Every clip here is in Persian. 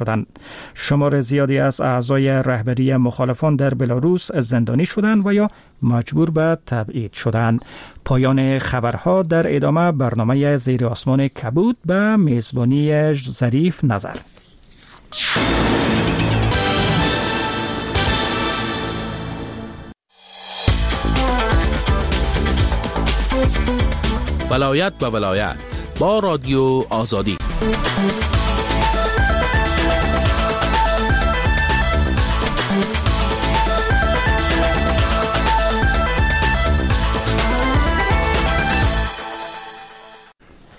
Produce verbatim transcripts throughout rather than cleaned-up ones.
شدند. شمار زیادی از اعضای رهبری مخالفان در بلاروس زندانی شدند و یا مجبور به تبعید شدند. پایان خبرها. در ادامه برنامه زیر آسمان کبود به میزبانی ظریف نظر. ولایت به ولایت با رادیو آزادی.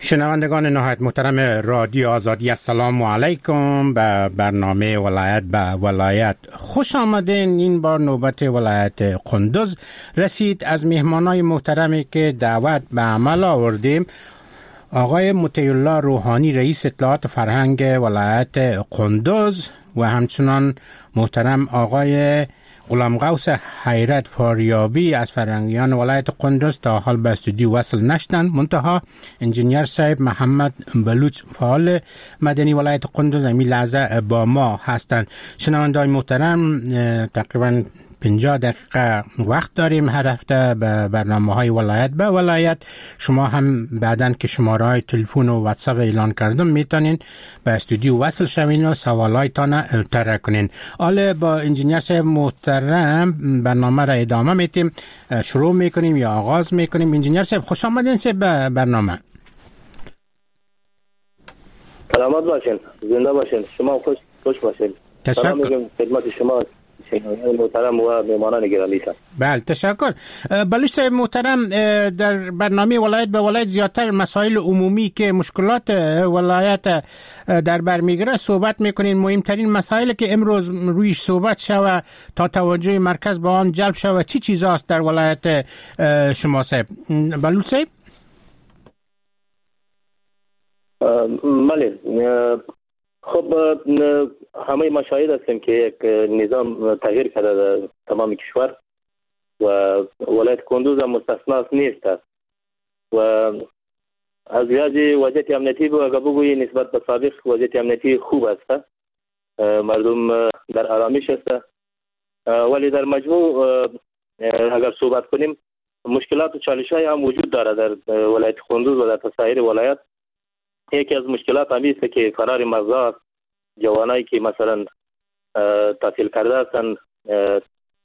شنوندگان نهایت محترم رادیو آزادی، السلام علیکم. به برنامه ولایت به ولایت خوش آمدین. این بار نوبت ولایت قندوز رسید. از مهمانای محترمی که دعوت به عمل آوردیم، آقای مطیع الله روحانی، رئیس اطلاعات فرهنگ ولایت قندوز، و همچنان محترم آقای غلام غوث حیرت فاریابی از فرهنگیان ولایت قندوز تا حال به استودیو وصل نشدند. منتها انجینیر صاحب محمد بلوچ، فعال مدنی ولایت قندوز، همین لحظه با ما هستند. شنونده‌های محترم، تقریبا پنجاه دقیقه وقت داریم هر هفته به برنامه های ولایت به ولایت. شما هم بعداً که شماره های تلفن و واتساپ اعلان کردم میتونین به استودیو وصل شوین و سوالایتان طرح کنین. حالا با انجینیر صاحب محترم برنامه را ادامه میتیم، شروع میکنیم یا آغاز میکنیم. انجینیر صاحب خوش آمدین صاحب به برنامه. سلامت باشین، زنده باشین، شما خوش خوش باشین. تشکر. خدمت شما محترم و مهمانان گرامی. بله تشکر. بلوچ صاحب محترم، در برنامه ولایت به ولایت زیادتر مسائل عمومی که مشکلات ولایت در بر میگیره صحبت میکنین. مهمترین مسائل که امروز رویش صحبت شوه تا توجه مرکز به آن جلب شوه چی چیزاست در ولایت شما صاحب بلوچ صاحب؟ بله، خب همه ما شاهد هستیم که یک نظام تغییر کرده در تمام کشور و ولایت کندوز هم مستثنا نیست و از لحاظ وضعیت امنیتی اگر بگویی نسبت به سابق وضعیت امنیتی خوب است، مردم در آرامش است، ولی در مجموع اگر صحبت کنیم مشکلات و چالش‌های هم وجود داره در ولایت کندوز و در سایر ولایت. یکی از مشکلات همی است که فرار مغزها، جوانایی که مثلا تحصیل کرده هستند،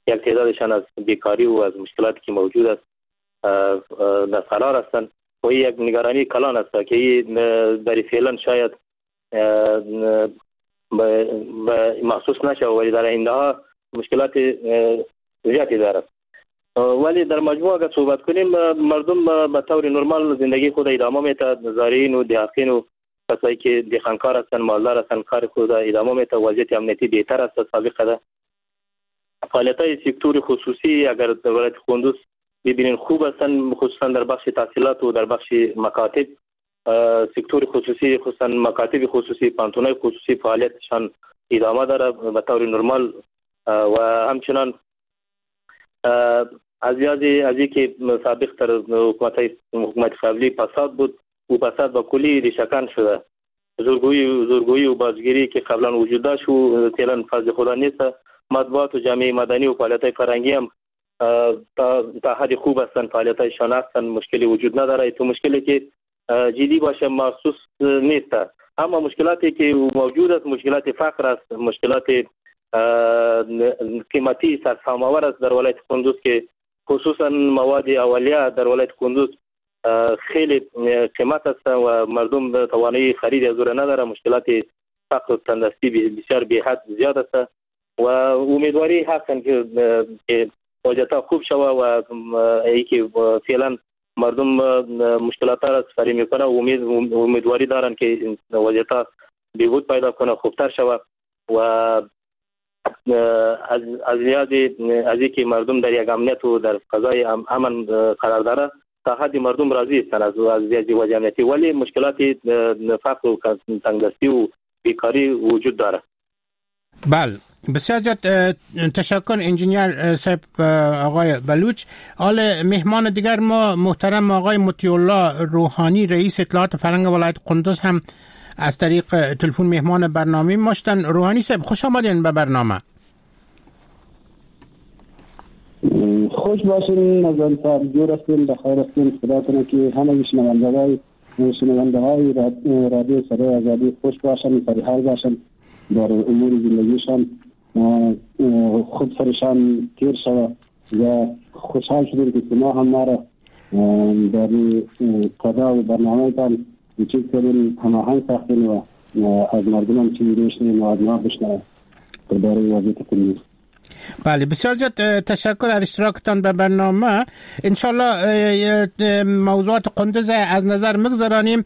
یک تعدادشان از بیکاری و از مشکلاتی که موجود است در فرار هستند و یک نگرانی کلان است که در فعلا شاید محسوس نشه، ولی در آینده ها مشکلات زیادی دارد. ولی در مجموع اگر صحبت کنیم مردم به طور نرمال زندگی خود ادامه میده، زارعین و دهقین و کسایی که دهقانکار هستند، مالدار هستند، کار خود ادامه میده. وضعیت امنیتی بهتر است سابقه ده. فعالیت‌های سکتور خصوصی اگر در ولایت قندوز ببینین خوب هستند، خصوصا در بخش تحصیلات و در بخش مکاتب. سکتور خصوصی خصوصا مکاتب خصوصی، پانتونای خصوصی فعالیتشان ادامه داره به طور نرمال و همچنان از لحاظ از اینکه سابق در حکومت حکومت قبلی فساد بود و فساد با کلی ریشه‌کن شده، زورگویی زورگویی و بازگیری که قبلا وجود داشت و فعلا فضل خدا نیست. مطبوعات و جامعه مدنی و فعالیت‌های فرهنگی هم تا تا حد خوب هستند، فعالیت‌هایشان هستند، مشکلی وجود نداره. تو مشکلی که جدی باشه محسوس نیست. اما مشکلاتی که موجود است مشکلات فقر است، مشکلات قیمتی سرسام‌آور است در ولایت قندوز که خصوصا مواد اولیه در ولایت قندوز خیلی قیمت است و مردم توانایی خرید از او نداره. مشکلات فقر و تندرستی بسیار بی حد زیاد است و امیدواری هستند که وضعیت خوب شود و ای که فعلا مردم مشکلات را سپری میکنه و امید امیدواری دارند که وضعیت بهبود پیدا کنه، خوبتر شود و از از لحاظ از اینکه مردم در یک امنیت و در فضای امن قرار داره تا حد مردم راضی هستند از از لحاظ وضع امنیتی، ولی مشکلات فقر و تنگدستی و بیکاری وجود داره. بله، بسیار زیاد تشکر انجینیر صاحب آقای بلوچ. حال مهمان دیگر ما محترم آقای مطیع الله روحانی، رئیس اطلاعات فرهنگ ولایت قندوز هم از طریق تلفن مهمان برنامه ما شدن. روحانی صاحب خوش آمدین به برنامه. خوش باشین نظام صاحب، جور هستین، بخیر هستین. خدا کنه که همه شنونده‌های شنونده‌های رادیو صدای آزادی خوش باشن، سرحال باشن، در امور زندگیشان خود سرشان تیر شود و خوشحال شدیم که شما هم ما را در قضا و برنامه تان چیز کردین، هماهنگ ساختین و از مردم هم چیزی بشنویم و از ما بشنویم درباره وضعیت کندوز. بله، بسیار زیاد تشکر از اشتراکتان به برنامه. انشالله موضوعات قندوز از نظر مگذرانیم.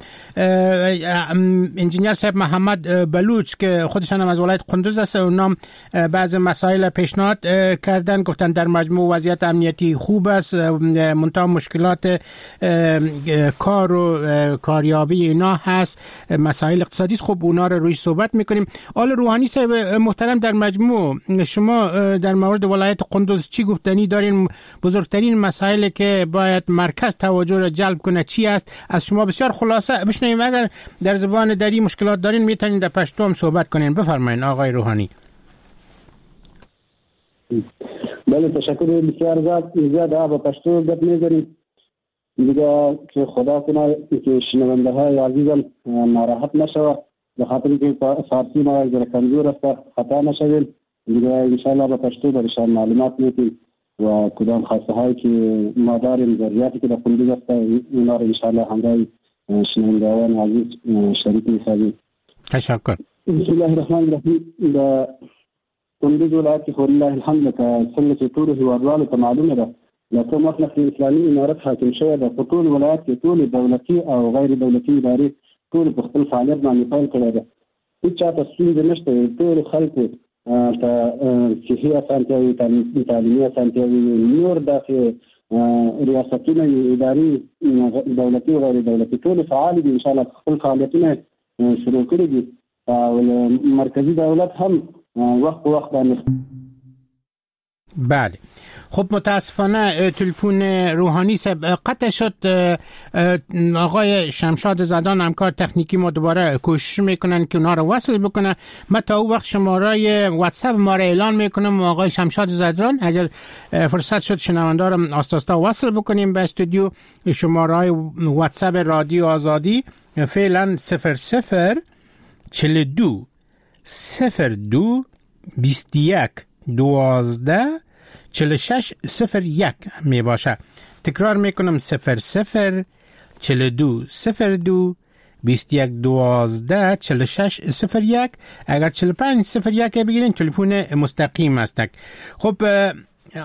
انجینیر صاحب محمد بلوچ که خودشان هم از ولایت قندوز است، اونام بعض مسائل پیشنهاد کردن، گفتن در مجموع وضعیت امنیتی خوب است، منتها مشکلات کار و کاریابی اینا هست، مسائل اقتصادی است. خب اونا رو روی صحبت میکنیم. آل روحانی صاحب محترم، در مجموع شما در مورد ولایت قندوز چی گفتنی دارین؟ بزرگترین مسائل که باید مرکز توجه را جلب کنه چی است؟ از شما بسیار خلاصه بشنویم. اگر در زبان دری مشکلات دارین میتونین در پشتو هم صحبت کنین. بفرمایین آقای روحانی. بله، تشکر بسیار زیاد. زیاد با پشتو گپ میزنیم دیگه که خدا کنه که شنونده های عزیزم ناراحت نشوه، به خاطر که فارسی ما ذره کمزور است، خطا نشویم دیگه. انشالله با پشتو برشان معلومات میتیم و کدام خواسته هایی که ما داریم، ضروریاتی که در قندوز است، اونا رو انشالله همراه شنوندگان عزیز شریک میسازیم. تشکر. بسم الله الرحمن الرحیم. د قندوز ولایت کې خو لله الحمد لکه څنګه چې ټولو هېوادوالو ته معلومه ده، له کوم وخت نه چې اسلامي امارت حاکم شوی ده، په ټول ولایت کې ټولې دولتي او غیر دولتي ادارې ټول په خپل فعالیت باندې پیل کړی ده. هیڅ چاته ستونزه نشته، ټولو خلکو ته صحي اسانتیاوې، تعلیمي اسانتیاوې، نور داسې ریاستونه، ادارې دولتي او غیر دولتي ټول فعال دي. انشاءالله خپل فعالیتونه شروع کړي دي او مرکزي دولت هم وخت په وخت باندې. بله، خب متاسفانه تلفن روحانی صاحب قطع شد. آقای شمشاد زدان همکار تکنیکی ما دوباره کوشش میکنن که اونا رو وصل بکنه. من تا او وقت شماره واتساپ ما رو اعلان میکنم و آقای شمشاد زدان اگر فرصت شد شنونده رو آستا وصل بکنیم به استودیو. شماره واتساپ رادیو آزادی فعلا صفر صفر چهل دو صفر دو بیست یک دوازده چهل شش صفر یک می باشه. تکرار میکنم صفر صفر چهل دو صفر دو بیست یک دوازده چهل شش صفر یک. اگر چهل پنج صفر یک بگیرین تلفن مستقیم است. خب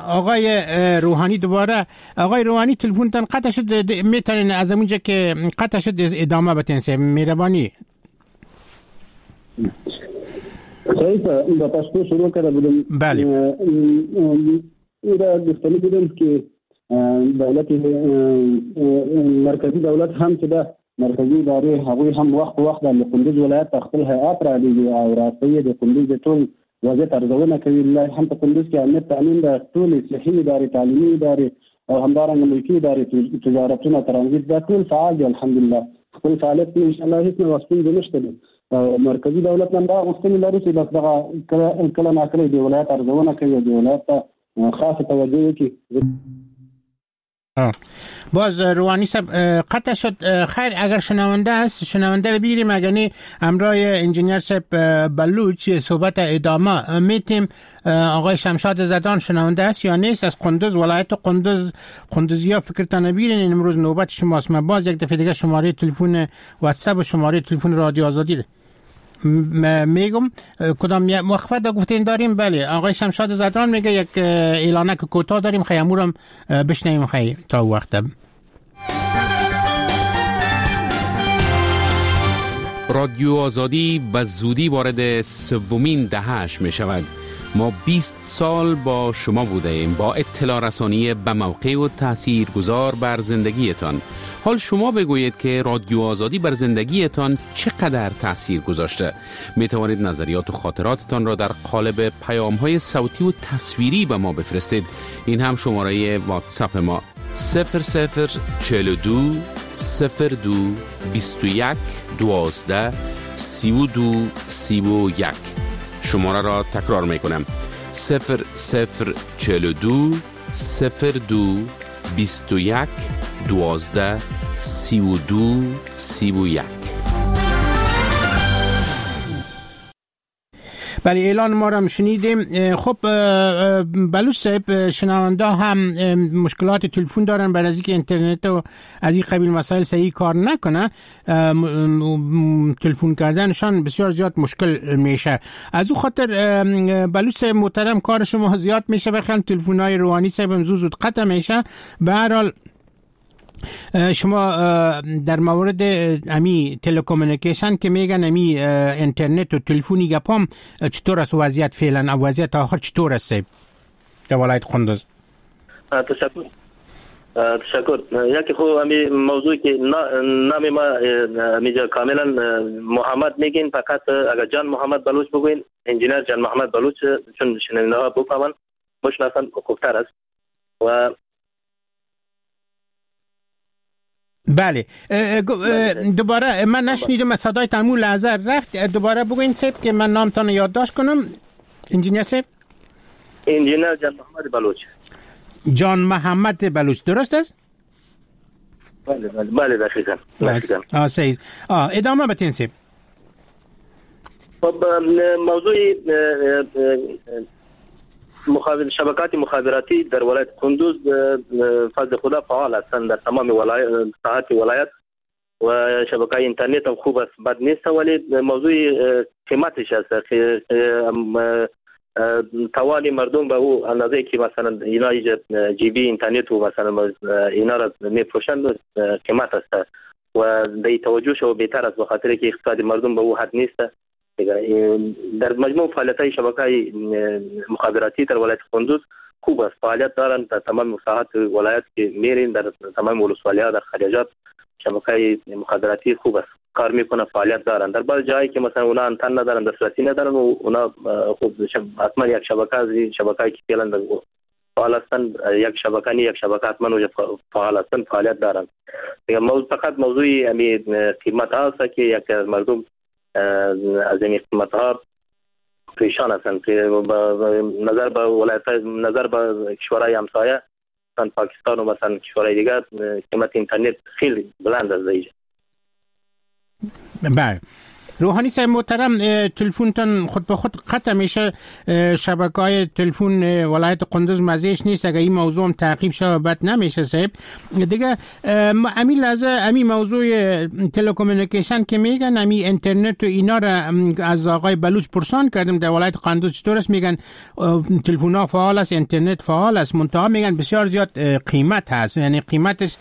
آقای روحانی دوباره، آقای روحانی تلفنتان قطع شد، میتونین از اونجا که قطع شد ادامه بدین؟ مهربانی. صحیح د پښتو شروع کړه بودم. بله، دا گفتنی بودم که دولت مرکزی دولت هم چې ده مرکزي ادارې هغوی هم وخت په وخت د قندوز ولایت ته خپل هیئات رالیږي او راستوي د قندوز د ټول وضعیت ارزونه کوي. لله هم په قندوز کې امنیت تامین ده، ټولې صحي ادارې، تعلیمي ادارې او همدارنګه ملکي ادارې، تجارتونه، ترانزیت، دا ټول فعال دي الحمدلله. خپل فعالیت کې انشاءالله هیڅ نوع ستونزه نشته دی. مرکزي دولت هم دا غوښتنې لري چې بس دغه کله کله ناکله د ولایت ارزونه کوي، د ولایت ته خاصه توجه وکړي. باز روحانی صاحب قطع شد. خیر، اگر شنونده هست شنونده رو بگیریم، اگر نه همراه انجینیر صاحب بلوچ صحبت ادامه میتیم. آقای شمشاد زدان شنونده است یا نیست؟ از قندوز، ولایت قندوز، قندوزیا فکرتان بگیرین. امروز نوبت شماست. من باز یک دفعه دیگه شماره تلفن واتساپ و شماره تلفن رادیو آزادی میگم. کدام وقفه دا گفتین داریم؟ بله، آقای شمشاد زدران میگه یک اعلانک کوتاه داریم، خیلی امورم بشنویم خیلی تا وقت. رادیو آزادی به زودی وارد سومین دهه‌اش می شود. ما بیست سال با شما بوده ایم، با اطلاع رسانی به موقع و تاثیرگذار بر زندگیتان. حال شما بگویید که رادیو آزادی بر زندگیتان چقدر تاثیر گذاشته. می توانید نظریات و خاطراتتان را در قالب پیام‌های صوتی و تصویری به ما بفرستید. این هم شماره واتساپ ما: صفر صفر چهل و دو صفر دو بیست و یک دوازده سی و دو سی و یک. شماره را تکرار می کنم: صفر صفر چهل و دو صفر دو بیست و یک دوازده سی و دو سی و یک. بله، اعلان ما را شنیدیم. خب بلوچ صاحب، شنونده هم مشکلات تلفن دارن، برای از اینکه اینترنت و از این قبیل مسائل صحیح کار نکنه، تلفن کردنشان بسیار زیاد مشکل میشه. از او خاطر بلوچ صاحب محترم کار شما زیاد میشه، بخیر تلفن های روحانی صاحب هم زود زود قطع میشه. به هر حال شما در مورد امی telecommunication که میگن امی اینترنت و تلفنی گپام چطور است وضعیت فعلا، وضعیت آخر چطور است در ولایت قندوز؟ تشکر تشکر. یکی خو امی موضوع که نام ما امیجا کاملا محمد میگین، فقط اگر جان محمد بلوچ بگوین، انجینر جان محمد بلوچ، چون شنونده ها بفهمن بشناسن خوبتر است. و بله دوباره من نشنیدم، صدای تمو لحظه رفت، دوباره بگوین صاحب که من نامتان یادداشت کنم. انجینر صاحب، انجینر جان محمد بلوچ. جان محمد بلوچ، درست است؟ بله بله بله دقیقاً. آه صحیح. آه ادامه بدین صاحب. خب موضوع مخابر شبکات مخابراتی در ولایت قندوز فضل خدا فعال هستند در تمام ولایت ساحات ولایت و شبکه اینترنت هم خوب است، بد نیست، ولی موضوع قیمتش است. توان مردم به او اندازه که مثلا اینا جی بی اینترنت و مثلا اینا را میفروشند قیمت است و به توجه شو بهتر است، به خاطر که اقتصاد مردم به او حد نیست. در مجموع فعالیت‌های شبکه‌های مخابراتی در ولایت قندوز خوب است، فعالیت دارند در تمام ساحات ولایت که میرین، در تمام ولسوالی‌ها، در خلیجات شبکه‌های مخابراتی خوب است، کار میکنه، فعالیت دارند. در بعض جایی که مثلا اونا آنتن ندارن، دسترسی ندارن و اونا خوب حتما یک شبکه از شبکه‌ای که فعلا فعال هستند، یک شبکه نی یک شبکه حتما اونجا فعال هستند، فعالیت دارند. موضوع فقط موضوع امی قیمت هست که یک از مردم از این قیمت ها پریشان هستند که نظر به ولایت، نظر به کشورهای همسایه مثلا پاکستان و مثلا کشورهای دیگر قیمت اینترنت خیلی بلند است اینجا. بله روحانی صاحب محترم، تلفنتان خود به خود قطع میشه، شبکه‌های تلفن ولایت قندوز مزیش نیست، اگر این موضوع هم تعقیب شود بد نمیشه صاحب. دیگه امی لحظه امی موضوع telecommunication که میگن امی اینترنت و اینا را از آقای بلوچ پرسان کردم در ولایت قندوز چطور است، میگن تلفن فعال است، اینترنت فعال است، منتها میگن بسیار زیاد قیمت هست، یعنی قیمتش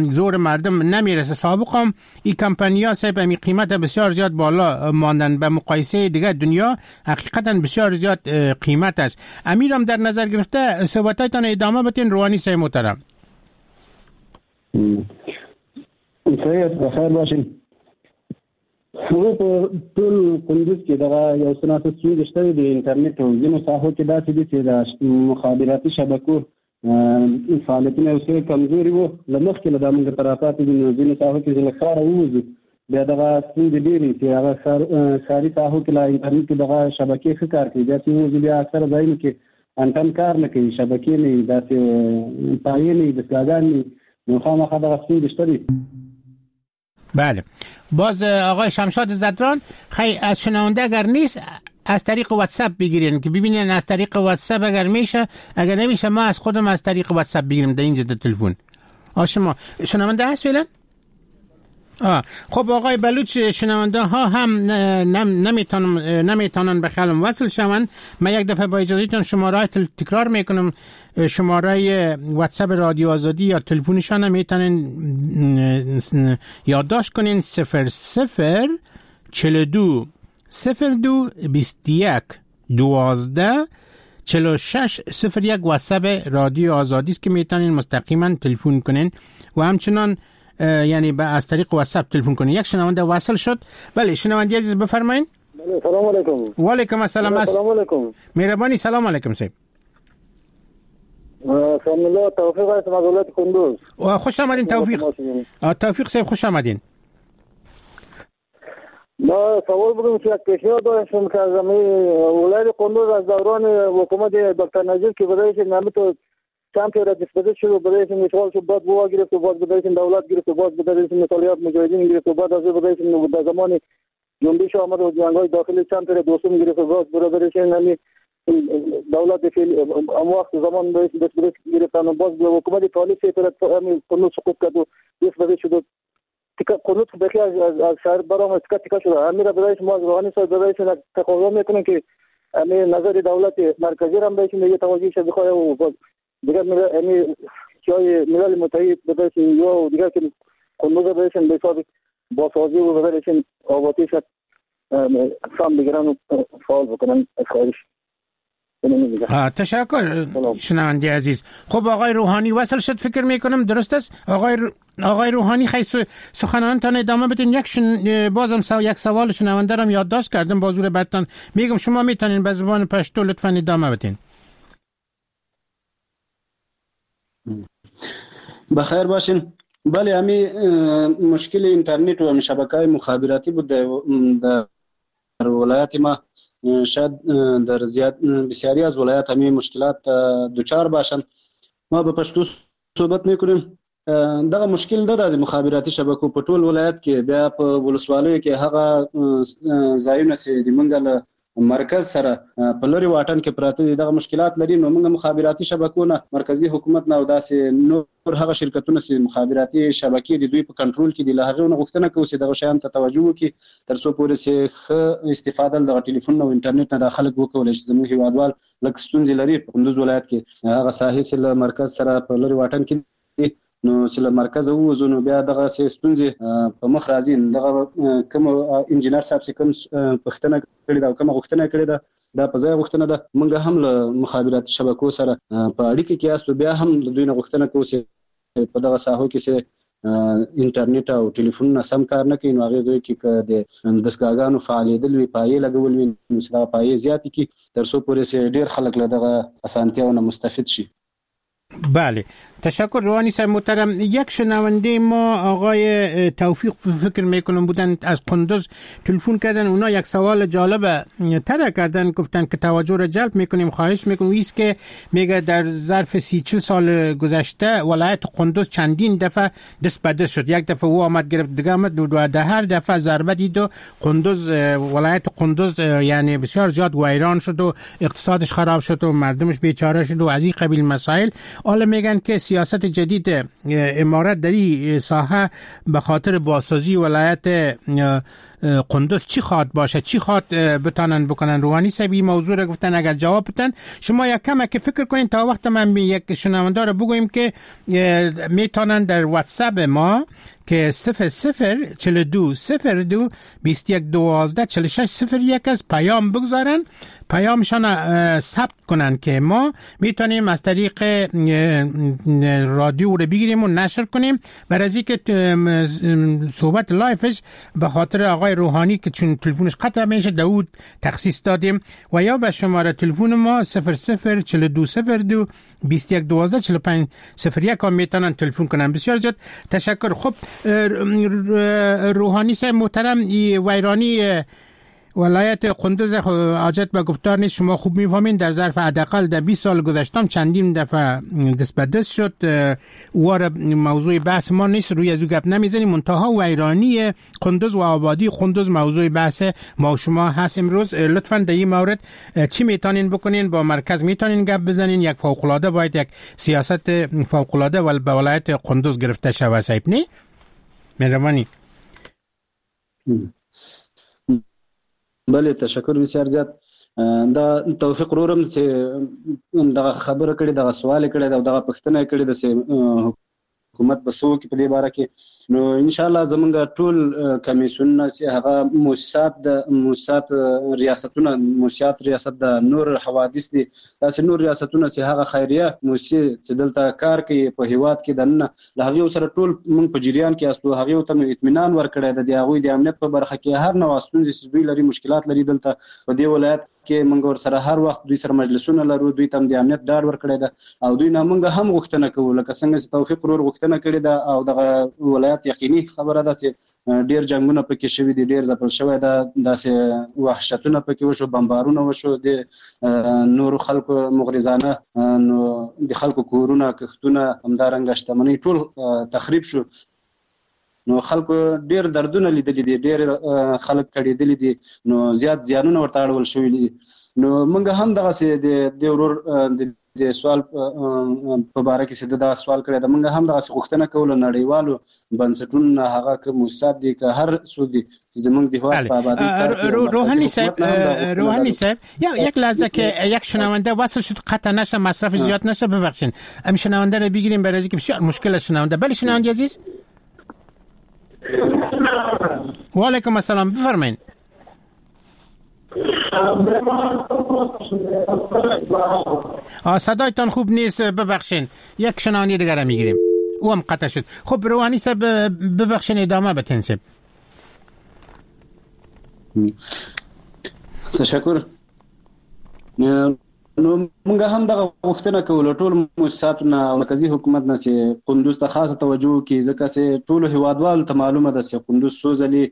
زور مردم نمیرسه. سابقا این کمپانیا صاحب امی قیمت بسیار زیاد بالا ماندن، به مقایسه دیگه دنیا حقیقتا بسیار زیاد قیمت است. امیرم در نظر گرفته صحبتایتان ادامه بدین روحانی صاحب محترم. صحیح است، بخیر باشین. هغه په ټول کندوز کې دغه یو څه ناڅه ستونزې شته د انټرنیټ او ځینو ساحو کې داسې دي چې د مخابراتي شبکو فعالیتونه یو څه کمزوري وو، له مخکې له دا موږ ته راپاتې دي، نو ځینو ساحو کې چې له ښاره ووځو بیا دغه ستونزې ډېرې چې هغه ښار ښاري ساحو کې لا انټرنیټ کې دغه شبکې ښه کار کوي، بیا چې ووځو بیا اکثره ځایونو کې انټن کار نه کوي، شبکې نه وي، داسې پایې نه وي، دستګاهګانې نه وي، نو خامخا دغه ستونزې شته دي. بله باز آقای شمشاد زدران، خیلی از شنونده اگر نیست از طریق واتساپ بگیرین که ببینین از طریق واتساپ اگر میشه، اگر نمیشه ما از خودم از طریق واتساپ بگیریم در اینجا در تلفن. آ شما شنونده هست فعلا؟ آه خب آقای بلوچ، شنونده ها هم نمیتونن نمیتونن به خیالم وصل شوند. من یک دفعه با اجازهتون شماره تکرار میکنم، شماره واتساپ رادیو آزادی یا تلفنشان هم میتونن یادداشت کنین: صفر صفر چهل و دو صفر دو بیست و یک دوازده چهل و شش صفر یک واتساپ رادیو آزادی است که میتونین مستقیما تلفن کنین و همچنان یعنی با از طریق واتساپ تلفن کنین. یک شنونده وصل شد. بله شنونده عزیز بفرمایین. بله سلام علیکم. و علیکم السلام. السلام علیکم. مهربانی. سلام علیکم صاحب. سلام الله، توفیق هستم از ولایت کندوز. و خوش آمدین توفیق. توفیق صاحب خوش آمدین. ما سوال بودم که یک پیشنهاد داشتم که از ولایت قندوز از دوران حکومت دکتر نجیب که برایش نامی تو چند تا دست شد و برایش اشغال شد، بعد بوا گرفت و بعد برایش دولت گرفت و بعد برایش مطالعات مجاهدین گرفت و بعد از برایش در زمان جنبش آمد و جنگ‌های داخلی چند تا دوستم گرفت و بعد برایش نامی دولت فعلی ام وقت زمان برایش دست گرفتن و باز حکومت طالب سه تا قندوز سقوط کرد و دست شد تیکه قندوز بخی از از شهر برام تیکه تیکه شده. امیر برایش ما از روحانی صاحب برایش تقاضا میکنیم که امیر نظر دولت مرکزی هم بهش میگه توجه شه بخواه و دیگر امیر جای ملل متحد برایش یا دیگر که قندوز برایش به حساب بازسازی و برایش آبادی شد سام بگیرن و فعال بکنن. از خواهش تشکر شنونده عزیز. خب آقای روحانی وصل شد فکر میکنم، درست است؟ آقای رو... آقای روحانی خیلی سخنانتان ادامه بدین. یک شن... بازم سو... یک سوال شنونده رم یادداشت کردم، بازور برتان میگم، شما میتونین به زبان پشتو لطفاً ادامه بدین. بخیر باشین. بله، همی مشکل اینترنت و شبکه‌های مخابراتی بود در ولایت ما. شاید در زیاد بسیاری از ولایات همین مشکلات دچار باشند. ما به پښتو صحبت میکنیم. دغه مشکل ده د مخابراتي شبکو په ټول ولایت کې، بیا په ولسوالیو کې هغه ځایونه چې د مونږ له مرکز سره په لرې واټن کې پراته دي دغه مشکلات لري. نو موږ مخابراتي شبکو نه، مرکزي حکومت نه او داسې نور هغه شرکتونه چې مخابراتي شبکې د دوی په کنټرول کې دي، له هغې نه غوښتنه کوو چې دغه شیانو ته توجه وکړي تر څو پورې چې ښه استفاده له دغه ټلیفون او انټرنیټ نه دا خلک وکولی شي. زموږ هیوادوال لږ ستونزې لري په کندوز ولایت کې، هغه ساحې چې له مرکز سره په لرې واټن کې دي، نو چې له مرکزه ووځو نو بیا دغسې ستونزې په مخ راځي. دغه کوم انجینر صاحب چې کوم پوښتنه کړې ده او کومه غوښتنه کړې ده، دا په ځای غوښتنه ده. موږ هم له مخابراتي شبکو سره په اړیکه کې یاستو، بیا هم له دوی نه غوښتنه کوو چې په دغه ساحو کې چې انټرنیټ او ټلیفونونه سم کار نه کوي، نو هغې ځای کې که د دستګاهګانو فعالېدل وي، پایې لګول وي، نو چې دغه پایې زیاتې کړي تر څو پورې چې ډېر خلک له دغه اسانتیاو نه مستفید شي. بله، تشکر روحانی صاحب محترم. یک شنونده ما آقای توفیق فکر میکنم بودن، از قندوز تلفن کردن. اونا یک سوال جالب طرح کردن، گفتن که توجه را جلب میکنیم، خواهش میکنیم. ایست که میگه در ظرف سی چل سال گذشته ولایت قندوز چندین دفعه دست به دست شد. یک دفعه او آمد گرفت، دیگه آمد و در هر دفعه ضربه دید و قندوز، ولایت قندوز یعنی بسیار زیاد ویران شد و اقتصادش خراب شد و مردمش بیچاره شد و از این قبیل مسائل. حالا میگن که سیاست جدید امارت در این ساحه به خاطر بازسازی ولایت قندوز چی خواد باشه، چی خواد بتانن بکنن؟ روحانی صاحب این موضوع را گفتن، اگر جواب بتن شما یک کم که فکر کنین تا وقت من یک شنونده را بگویم که میتونن در واتساپ ما که صفر صفر چهل دو صفر دو بیست یک دوازده چهل شش صفر یک از پیام بگذارن، پیامشان ثبت کنن که ما میتونیم از طریق رادیو رو بگیریم و نشر کنیم. برای از اینکه صحبت live ش به خاطر آقای روحانی که چون تلفنش قطع میشه داود تخصیص دادیم، و یا به شماره تلفن ما صفر صفر چهل دو صفر دو بیست یک دوازده چهل پنج صفر یک هم میتونن تلفن کنن. بسیار زیاد تشکر. خب روحانی صاحب محترم، ویرانی ولایت قندوز حاجت به گفتار نیست، شما خوب میفهمین در ظرف حداقل در بیست سال گذشتم چندین دفعه دست به دست شد. وار موضوع بحث ما نیست، روی از او گپ نمیزنیم. منتها ویرانی قندوز و آبادی قندوز موضوع بحث ما و شما هست امروز. لطفاً در این مورد چی میتونین بکنین؟ با مرکز میتونین گپ بزنین؟ یک فوق العاده باید یک سیاست فوق العاده به ولایت قندوز گرفته شود. صاحب نه مهربانی. بله، تشکر بسیار زیات. دا توفیق ورورم چې دغه خبره کړې، دغه سوال کړی او دغه پوښتنه کړې ده چې حکومت به څه وکړي په دې باره کې. نو ان شاء الله زمونږ ټول کمیسیونونه چې هغه موسسات د موسسات ریاستونه، موسسات ریاست د نور حوادث دي، داسې نور ریاستونه چې هغه خیریه موسسې چې دلته کار کوي په هیواد کې دننه، له هغې سره ټول موږ په جریان کې یاستو. هغې ته مو اطمینان ورکړی دی، د هغوی د امنیت په برخه کې هر نوع ستونزې چې دوی لري، مشکلات لري دلته په دې ولایت کې، موږ ورسره هر وخت دوی سره مجلسونه لرو، دوی ته هم د امنیت ډاډ ورکړی ده او دوی نه موږ هم غوښتنه کوو، لکه څنګه چې توفیق ورور غوښتنه کړې ده او دغه ولایت ولایت یقیني خبره ده چې ډیر جنگونه پکې شوي دي، ډیر ځپل شوی ده، داسې وحشتونه پکې وشو، بمبارونه وشو د نورو خلکو مغرضانه، نو د خلکو کورونه، کښتونه، همدارنګه شتمنۍ ټول تخریب شو. نو خلکو ډیر دردونه لیدلي دي، ډیر خلک کړېدلي دي، نو زیات زیانونه ورته اړول شوي دي. نو موږ هم دغسې د دې ورور د د سوال په باره کې چې ده دا سوال کړی ده، موږ هم دغسې غوښتنه کوو له نړیوالو بنسټونو نه، هغه که موسسات دي که هر څوک دي چې زموږ د هېواد په آبادۍ کار کوي. روحانی صاحب، روحانی صاحب یک لحظه که یک شنونده وصل شد قطع نشه، مصرف زیاد نشه، ببخشین ام شنونده رو بگیریم برای اینکه بسیار مشکل است شنونده. بله شنونده عزیز، و علیکم السلام، بفرمایید. صدایتان خوب نیست، ببخشین. یک شنونده دیگر رو میگیریم، او هم قطع شد. خب روحانی صاحب ببخشین ادامه بدین صاحب. تشکر. نو موږ هم دغه غوښتنه کوو له ټولو موسساتو نه او مرکزي حکومت نه چې قندوز ته خاصه توجه وکړي، ځکه چې ټولو هیوادوالو ته معلومه ده چې قندوز څو ځلې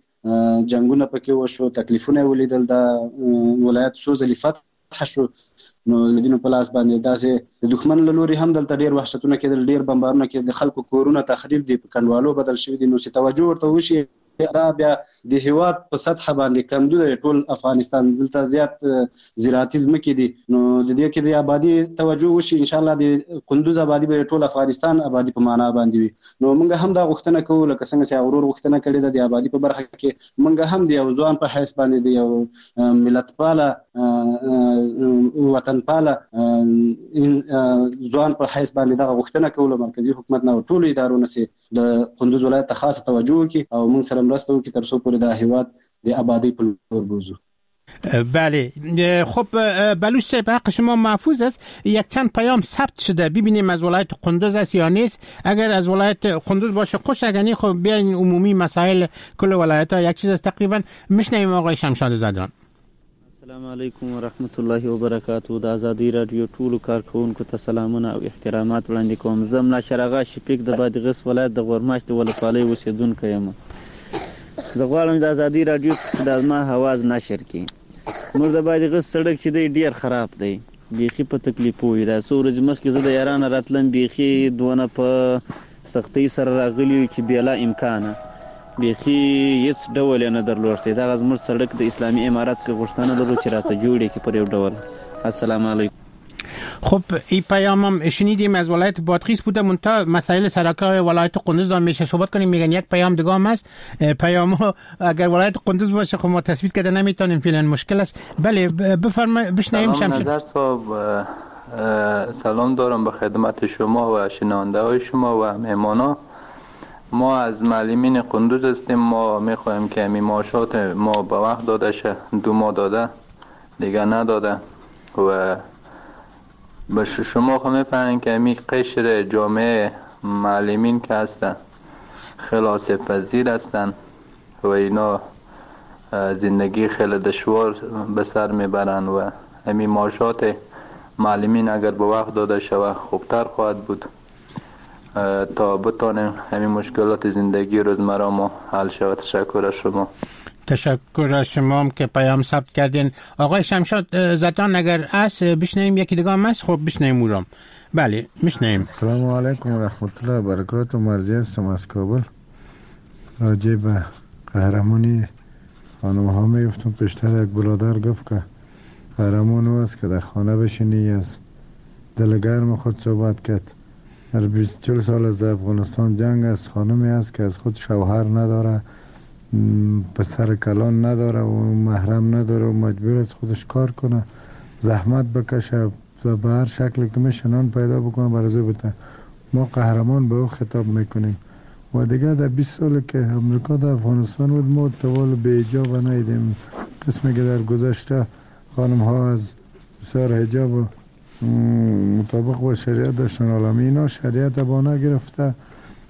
جنگونه پکې وشو، تکلیفونه یې ولیدل، دا ولایت څو ځلې فتح شو. نو د دینو په لاس باندې داسې د دښمن له لوري هم دلته ډېر وحشتونه کېدل، ډېر بمبارونه کېدل، د خلکو کورونه تخریب دي، په کنډوالو بدل شوي دي. نو چې توجه ورته وشي، دا بیا د هیواد په سطح باندې کندو دی، ټول افغانستان دلته زیات زراعتي ځمکې دي، نو د دې کې د آبادي توجه وشي، ان شاء الله د قندوز آبادي به ټول افغانستان آبادي په معنا باندې وي. نو موږ هم دا غوښتنه کوو لکه څنګه چې ورور غوښتنه کړې ده د آبادي په برخه کې، موږ هم د یو ځوان په حیث باندې د یو ملتپاله وطنپاله ځوان په حیث باندې دغه غوښتنه کوو له مرکزي حکومت نه او ټولو ادارو نه چې د قندوز ولایت ته خاصه توجه وکړي او موږ سره مرسته وکړي تر څو پورې دا هیواد د آبادۍ په لور بوزو. بله خب بلوچ صاحب حق شما محفوظ است. یک چند پیام ثبت شده، ببینیم از ولایت قندوز است یا نیست. اگر از ولایت قندوز باشه خوش، اگر نه خب بیاین عمومی مسائل کل ولایت ها یک چیز است تقریبا. میشنویم آقای شمشاد زدران. السلام علیکم ورحمت الله وبرکاتو. د ازادي رادیو ټولو کارکوونکو ته سلامونه او احترامات وړاندې کوم. زه ملا شرغا شفیق د بادغیس ولایت د غورماش د ولسوالۍ اوسېدونکی یم. زه غواړم د ازادي رادیو څخه د زما اواز نشر کړي. موږ د بادغیس سړک چې دی ډېر خراب دی، بیخي په تکلیفو وي. دا څو ورځې مخکې زه د ایرانه راتلم، بیخي دونه په سختۍ سره راغلي یو چې بېلا امکانه، بیخي هیڅ ډول یې نه درلود. دغه زموږ سړک د اسلامي امارت څخه غوښتنه لرو چې راته جوړ یې کړي پر یو ډول. السلام علیکم. خب این پیام هم شنیدیم از ولایت بادغیس بوده، منتها مسائل سرکای ولایت قندوز دام میشه صحبت کنیم. میگن یک پیام دیگه هم هست، پیام اگر ولایت قندوز باشه خب ما تثبیت کرده نمیتونیم، فعلا مشکل است. بله بفرمایید بشنویم. شمس نظر صاحب سلام دارم به خدمت شما و شنونده های شما و مهمانا. ما از معلمین قندوز هستیم. ما میخوایم که می معاشات ما به وقت داده شه، دو ماه داده دیگه نداده و به شما خو میفهمین که می قشر جامعه معلمین که هستن خلاص پذیر هستن و اینا زندگی خیلی دشوار به سر میبرن و همی معاشات معلمین اگر به وقت داده شود خوبتر خواهد بود تا بتانیم همین مشکلات زندگی روزمره ما حل شود. تشکر از شما. تشکر از شما هم که پیام ثبت کردین. آقای شمشاد زدان اگر اس بشنویم یکی دیگه هم هست، خب بشنویم او را. بله میشنویم. السلام علیکم و رحمت الله و برکاته. مرضی هستم از کابل. راجع به قهرمانی خانم ها میگفتم. پیشتر یک برادر گفت که قهرمان او است که در خانه بشینی از دل گرم خود صحبت کرد. در بیست چهل سال از افغانستان جنگ است، خانمی است که از خود شوهر نداره، پسر کلان نداره و محرم نداره و مجبور است خودش کار کنه، زحمت بکشه و به هر شکلی که میشه نان پیدا بکنه برای او بده. ما قهرمان به او خطاب میکنیم. و دیگه در بیست سال که امریکا در افغانستان بود ما طوال به حجاب ندیدیم. قسمی که در گذشته خانم ها از بسیار حجاب و مطابق با شریعت داشتن، عالمی اینا شریعت با نگرفته،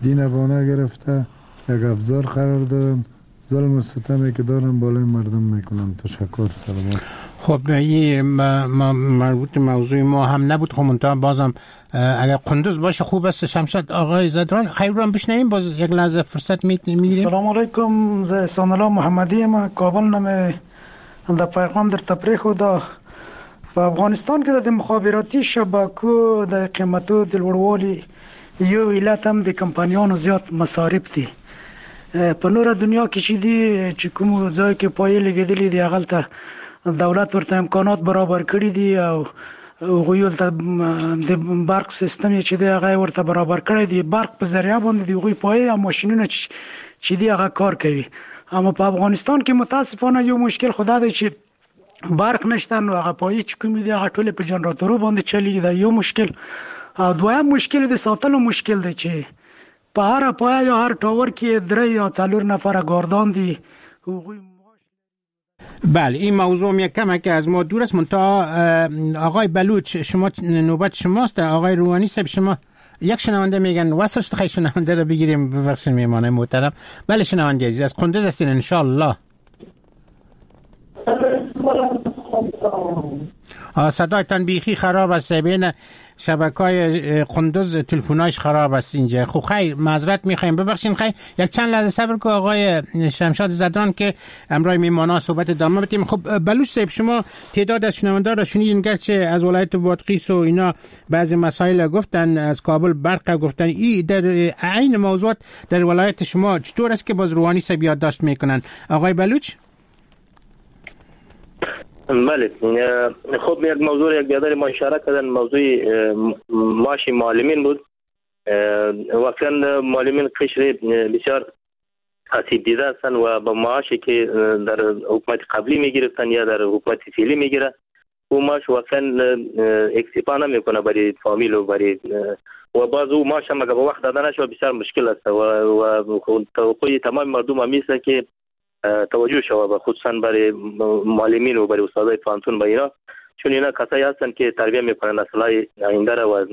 دین با نگرفته، یک ابزار قرار دادن، ظلم و ستمی که دارن بالای مردم میکنن. تشکر. سلامت. خب این مربوط موضوع ما هم نبود، خب منتها بازم اگر قندوز باشه خوب است. شمشاد آقای زدران خیر رو بشنویم، باز یک لحظه فرصت میگیریم. سلام علیکم، زه احسان الله محمدی یم، کابل نه مې د پیغام درته پرېښوده. په افغانستان کې د مخابراتي شبکو د قیمتو د لوړوالي یو علت هم د کمپنیانو زیات مصارف دي. په نوره دنیا کې چې دي چې کوم ځای کې پایې لګېدلې دي هغلته دولت ورته امکانات برابر کړي دي او هغوی ورته د برق سیستم یې چې دی هغه یې ورته برابر کړی دی. برق په ذریعه باندې د هغوی پایې او ماشینونه چې دي هغه کار کوي. اما په افغانستان کې متاسفانه یو مشکل خو دا دی چې برق نشته، نو هغه پایې چې کومې دي هغه ټولې په جنراتورو باندې چلیږي. دا یو مشکل. او دویم مشکل د ساتلو مشکل دی چې په هره پایه یا هر ټاور کې درې یا څلور نفره ګاردان دي. هغوی بله این موضوع یک کم که از ما دور است. منتها آقای بلوچ شما نوبت شماست. آقای روحانی صاحب شما یک شنونده میگن واسه خیلی شنونده رو بگیریم، ببخشید میمانه محترم. بله شنونده عزیز از قندوز هستین ان شاء الله. صدایتان بیخی خراب است، بین شبکه‌های قندوز تلفن‌هاش خراب است اینجا. خب خیر معذرت می‌خوایم، ببخشین. خیر یک چند لحظه صبر کو آقای شمشاد زدران که امرای میمانا صحبت ادامه بدیم. خب بلوچ صاحب شما تعداد از شنونده‌ها را شنیدین، گرچه از ولایت بادغیس و اینا بعضی مسائل گفتن، از کابل برق گفتن، ای در عین موضوعات در ولایت شما چطور است که باز روحانی صاحب یادداشت میکنن؟ آقای بلوچ. بله خب یک موضوع یک بیادر ما اشاره کردن، موضوع معاش معلمین بود. واقعا معلمین قشر بسیار آسیب دیده هستند و با معاشی که در حکومت قبلی میگرفتن یا در حکومت فعلی میگیره او معاش واقعا اکتفا نمیکنه برای فامیل و برای و باز او معاش هم اگر به وقت داده نشود بسیار مشکل است و و توقع تمام مردم هم است که توجه شود خصوصا برای معلمین و برای استادای پوهنتون و اینا، چون اینا کسایی هستند که تربیه میکنن نسل‌های آینده را و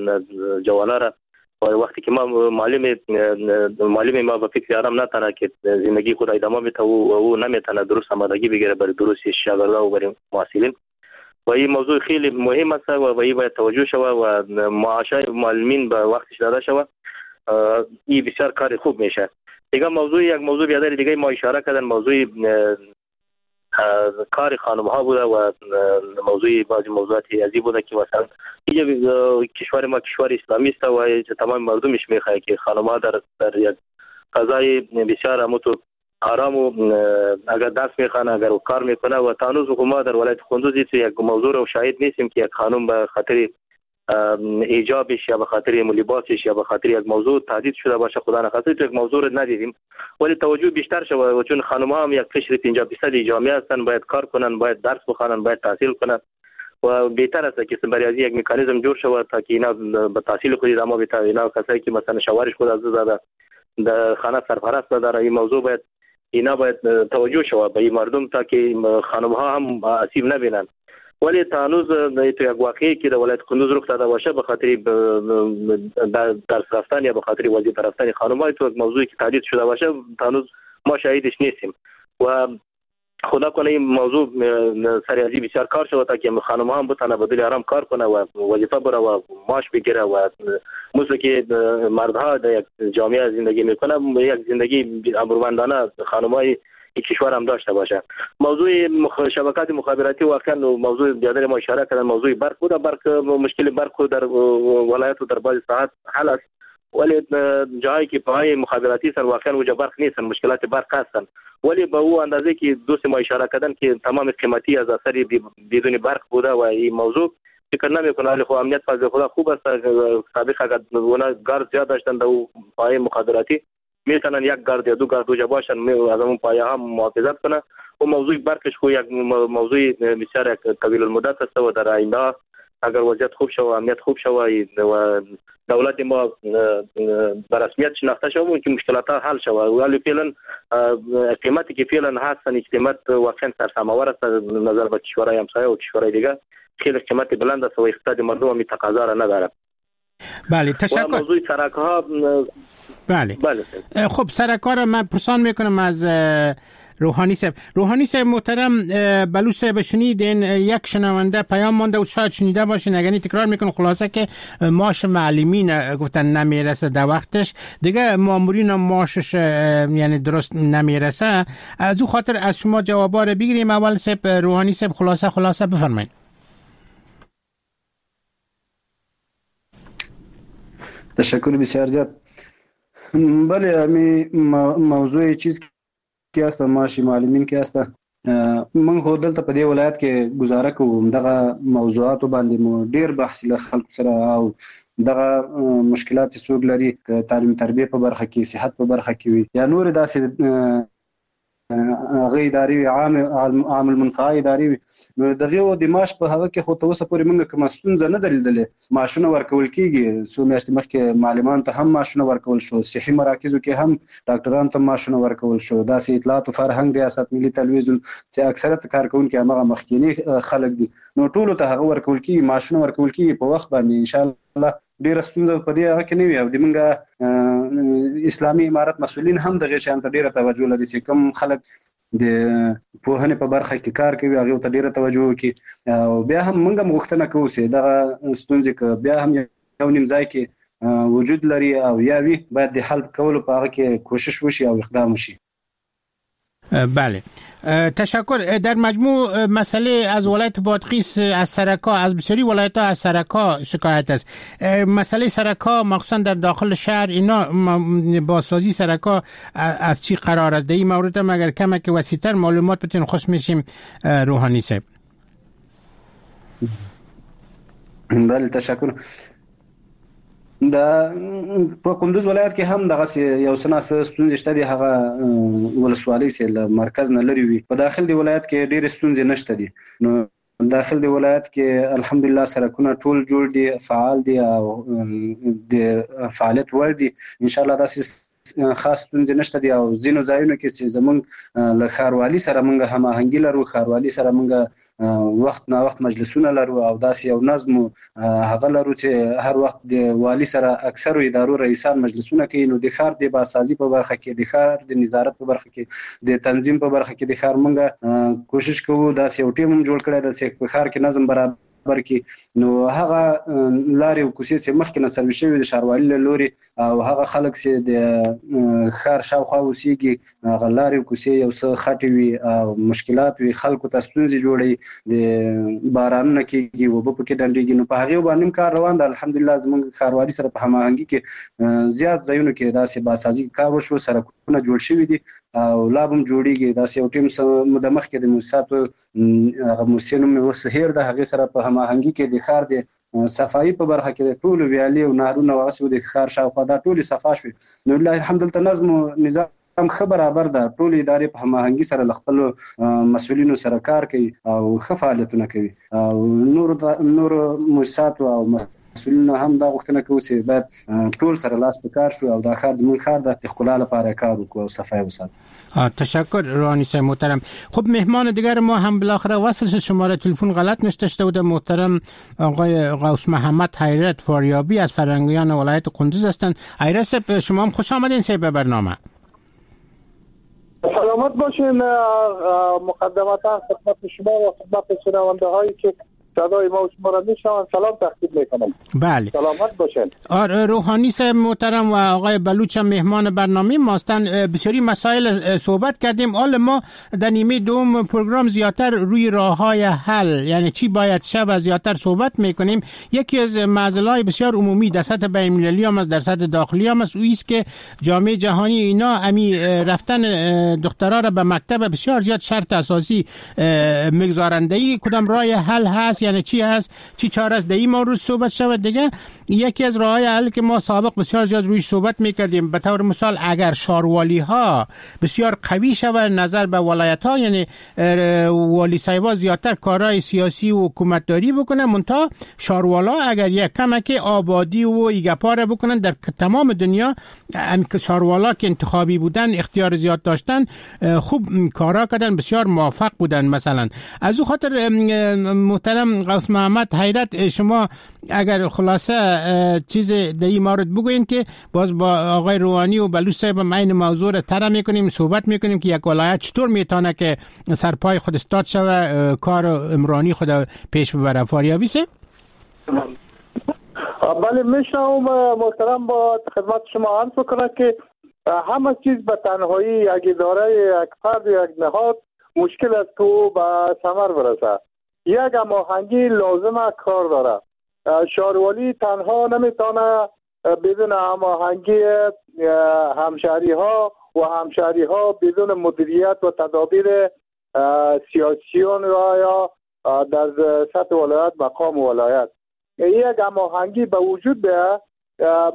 جوانا را. و وقتی که ما معلم معلم ما به فکر آرام نتانه که زندگی خود ادامه بده و او نمیتونه درست آمادگی بگیره برای دروس شاگردا و برای محصلین و این موضوع خیلی مهم است و این باید توجه شود و معاشای معلمین به وقتش داده شود. این بسیار کار خوب میشه. دیگه موضوع یک موضوع بیادر دیگه ما اشاره کردن، موضوع کار خانم ها بوده و موضوع بعضی موضوعات ازی بوده که مثلا اینجا کشور ما کشور اسلامی است و تمام مردمش میخواد که خانم ها در در یک فضای بسیار اموتو آرام و اگر درس میخوانه اگر کار میکنه و تا هنوز ما در ولایت قندوز یک موضوع رو شاهد نیستیم که یک خانم به خاطر ایجابش یا به خاطر لباسش یا به خاطر یک موضوع تهدید شده باشه، خدا نخواسته تو یک موضوع رو ندیدیم، ولی توجه بیشتر شود و چون خانم‌ها هم یک قشر پنجاه درصد جامعه هستن، باید کار کنن، باید درس بخوانن، باید تحصیل کنن و بهتر است که برای از یک مکانیزم جور شود تا که اینا به تحصیل خود ادامه بده. اینا کسایی که مثلا شوهرش خود از زده در خانه سرپرست نداره، این موضوع باید اینا باید توجه شود به این مردم تا که خانم‌ها هم آسیب نبینن. ولی تا هنوز تو یک واقعی که در ولایت قندوز رخ داده باشه به خاطر درس رفتن یا به خاطر وظیفه رفتن خانم‌ها تو یک موضوعی که تهدید شده باشه تا هنوز ما شاهدش نیستیم و خدا کنه این موضوع سر ازی بسیار کار شود تا که خانم‌ها هم بتونه به دل آرام کار کنه و وظیفه بره و معاش بگیره و مثل که مردها در یک جامعه زندگی میکنه یک زندگی امرومندانه خانم‌های کشور هم داشته باشه. موضوع مخ... شبکات مخابراتی واقعا موضوع بیادر ما اشاره کردن موضوع برق بود. برق مشکل برق در ولایت و در بعضی ساعت حل است، ولی جایی که پای مخابراتی هستن واقعا اونجا برق نیستن، مشکلات برق هستن، ولی به او اندازه که دوست ما اشاره کردن که تمام قیمتی از اثر بدون برق بوده و این موضوع فکر نمی‌کنه. ولی خب امنیت فضل خدا خوب است. سابق اگر اونا گارد زیاد داشتن در پای مخابراتی میتونن یک گارد یا دو گارد اونجا باشن از اون پایه هم محافظت کنه. و موضوع برقش خو یک موضوع بسیار یک طویل المدت است و در آینده اگر وضعیت خوب شود، امنیت خوب شود و دولت ما به رسمیت شناخته شود، ممکن مشکلات حل شود. ولی فعلا قیمتی که فعلا هستن قیمت واقعا سرسام‌آور است نظر به کشورهای همسایه و کشورهای دیگه، خیلی قیمت بلند است و اقتصاد مردم هم تقاضا را نداره. بله تشکر. موضوع سرک ها بله. بله. خب سرک ها را من پرسان میکنم از روحانی صاحب. روحانی صاحب محترم، بلوچ صاحب شنیدین یک شنونده پیام مانده و شاید شنیده باشین، اگر تکرار میکنم خلاصه که معاش معلمین گفتن نمیرسه در وقتش، دیگه مامورین معاشش یعنی درست نمیرسه. از او خاطر از شما جوابا رو بگیریم. اول صاحب روحانی صاحب خلاصه خلاصه بفرمایید. تشکر بسیار زیاد. بله، امی موضوع چیز کې است، معاش معلمین کې است. موږ خو دلته په دې ولایت کې گزاره کوو، دغه موضوعاتو باندې مو ډیر بحث له خلکو سره او دغه مشکلات چې څوک لري، تعلیم تربیه په برخه کې، صحت په برخه کې وي یا نور داسې هغه ادارې وي، عام عام المنفعه ادارې وي، نو دغه د معاش په هغه کې خو تر اوسه پورې موږ کومه ستونزه نه ده لیدلې. معاشونه ورکول کیږي، څو میاشتې مخکې معلمانو ته هم معاشونه ورکول شو، صحي مراکزو کې هم ډاکټرانو ته معاشونه ورکول شو. داسې اطلاعات او فرهنګ ریاست، ملي تلویزیون چې اکثریت کارکوونکي همغه مخکیني خلک دي، نو ټولو ته هغه ورکول کیږي، معاشونه ورکول کیږي په وخت باندې. ان شاء الله ډیره ستونزه په دې هغه کې نه وي. او د موږ اسلامي امارت مسؤلین هم دغه شیان ته ډیره توجه لري چې کوم خلک د پوهنې په برخه کې کار کوي هغه ته ډیره توجه وکړي. او بیا هم موږ هم غوښتنه کوو چې دغه ستونزې که بیا هم یو نیم ځای کې وجود لري او یا وي، باید د حل کولو په هغه کې کوشش وشي او اقدام وشي. بله، تشکر. در مجموع مسئله از ولایت بادغیس، از سرکا، از بسیاری ولایت ها از سرکا شکایت است. مسئله سرکا مخصوصا در داخل شهر، اینا بازسازی سرکا از چی قرار است؟ در این مورد هم اگر کمک وسیع‌تر معلومات بتین خوش میشیم روحانی صاحب. بله، تشکر. د په کندوز ولایت کې هم دغه یو څه ناڅه ستونزې شته دي، هغه ولسوالۍ چې له مرکز نه لرې وي. په داخل د ولایت کې ډېرې ستونزې نشته دي. نو داخل د ولایت کې الحمدلله سرکونه ټول جوړ دي، فعال دي او د فعالیت وړ دي. ان شاء الله داسې خاص ستونزې نشته دي. او ځینو ځایونو کې چې زمونږ له ښاروالي سره مونږ هماهنګي لرو، ښاروالي سره مونږ وخت نا وخت مجلسونه لرو او داسې یو نظم هغه لرو چې هر وخت د والي سره اکثرو ادارو رئیسان مجلسونه کوي. نو د ښار د بازسازي په برخه کې، د ښار د نظارت په برخه کې، د تنظیم په برخه کې د ښار مونږ کوشش کوو داسې یو ټیم هم جوړ کړی دی چې په ښار کې نظم برابر کې. نو هغه لارې او کوڅې چې مخکې نه سروي شوي د ښاروالي له لوري او هغه خلک چې د ښار شاوخوا اوسېږي، هغه لارې او کوڅې یو څه خټې وي او مشکلات وي، خلکو ته ستونزې جوړوي، د بارانونه کېږي، اوبه پکې ډنډېږي. نو په هغې باندې هم کار روان ده. الحمدلله زموږ ښاروالي سره په هماهنګي کې زیات ځایونو کې داسې بازسازي کار وشو، سړکونه جوړ شوي دي او لا به هم جوړېږي. داسې یو ټیم څه موده مخکې د موسساتو هغه موسسې نوم مې اوس هېر ده، هغې سره په هماهنګي کې د ښار د صفایي په برخه کې د ټولو ویالې او نهرونه او هغسې د ښار شاوخوا دا ټولې صفا شوې. نو لله الحمد دلته نظم او نظام ښه برابر ده، ټولې ادارې په هماهنګي سره له خپلو مسؤلینو سره کار کوي او ښه فعالیتونه کوي. او نورو نورو موسساتو او مسؤلینو هم دا غوښتنه کوو چې باید ټول سره لاس په کار شو او دا ښار زموږ ښار ده، د ښکلا لپاره کار وکړو او صفای وساتو. تشکر روحانی صاحب محترم. خب مهمان دیگر ما هم بالاخره وصل شد، شماره تلفن غلط نوشته شده بود. محترم آقای غوث محمد حیرت فاریابی از فرهنگیان ولایت قندوز هستند. حیرت صاحب شما هم خوش آمدین صاحب به برنامه. سلامت باشین. مقدمتا خدمت شما و خدمت شنونده هایی که صدای ما و شما را میشنوند سلام تقدیم میکنم. بله، سلامت باشین. آره، روحانی صاحب محترم و آقای بلوچ هم مهمان برنامه ماستن. بسیاری مسائل صحبت کردیم. حال ما در نیمه دوم پروگرام زیادتر روی راه‌های حل، یعنی چی باید شب، زیادتر صحبت میکنیم. یکی از معضلات بسیار عمومی در سطح بین‌المللی هم است، در سطح داخلی هم است، اویی است که جامعه جهانی اینا امی رفتن دخترها را به مکتب بسیار زیاد شرط اساسی میگذارند. کدام راه حل هست، یعنی چی هست، چی چاره است، در این مورد صحبت شود. دیگه یکی از راه‌های حل که ما سابق بسیار زیاد روی صحبت میکردیم، به طور مثال اگر شاروالی ها بسیار قوی شود نظر به ولایت ها، یعنی والی صاحبا زیادتر کارهای سیاسی و حکومتداری بکنه، منتها شاروالا اگر یک کمک آبادی و ایگپاره بکنن، در تمام دنیا هم که شاروالا که انتخابی بودن اختیار زیاد داشتن، خوب کارا کردن، بسیار موفق بودن مثلا. از او خاطر محترم غوث محمد حیرت، شما اگر خلاصه چیز در این مورد بگوین که باز با آقای روحانی و بلوچ صاحب ما این موضوع را طرح میکنیم، صحبت میکنیم که یک ولایت چطور میتونه که سرپای خود استاد شوه، کار عمرانی خود پیش ببره. فاریابی سه بله میشنوم محترم، با خدمت شما عرض بکنم که همه چیز به تنهایی یک اداره، یک فرد، یک نهاد مشکل است که به ثمر برسه. یک هماهنگی لازم کار داره. شاروالی تنها نمیتونه بدون هماهنگی همشهری ها و همشهری ها بدون مدیریت و تدابیر سیاسیون و یا در سطح ولایت مقام ولایت یک هماهنگی به وجود بیاد.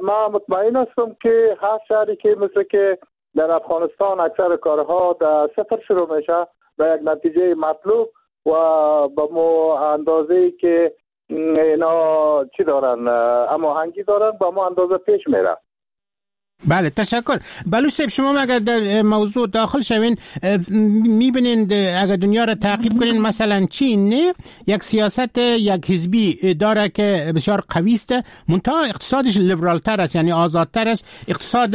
ما مطمئن هستم که هر شهری که مثل که در افغانستان اکثر کارها در صفر شروع میشه به یک نتیجه مطلوب و به مو اندازه‌ای که اینا چی دارن هماهنگی دارن با ما اندازه پیش میره. بله تشکر. بلوچ صاحب شما اگر در موضوع داخل شوین میبینین اگر دنیا را تعقیب کنین، مثلا چین یک سیاست یک حزبی داره که بسیار قوی است، منتها اقتصادش لیبرال تر است، یعنی آزادتر است، اقتصاد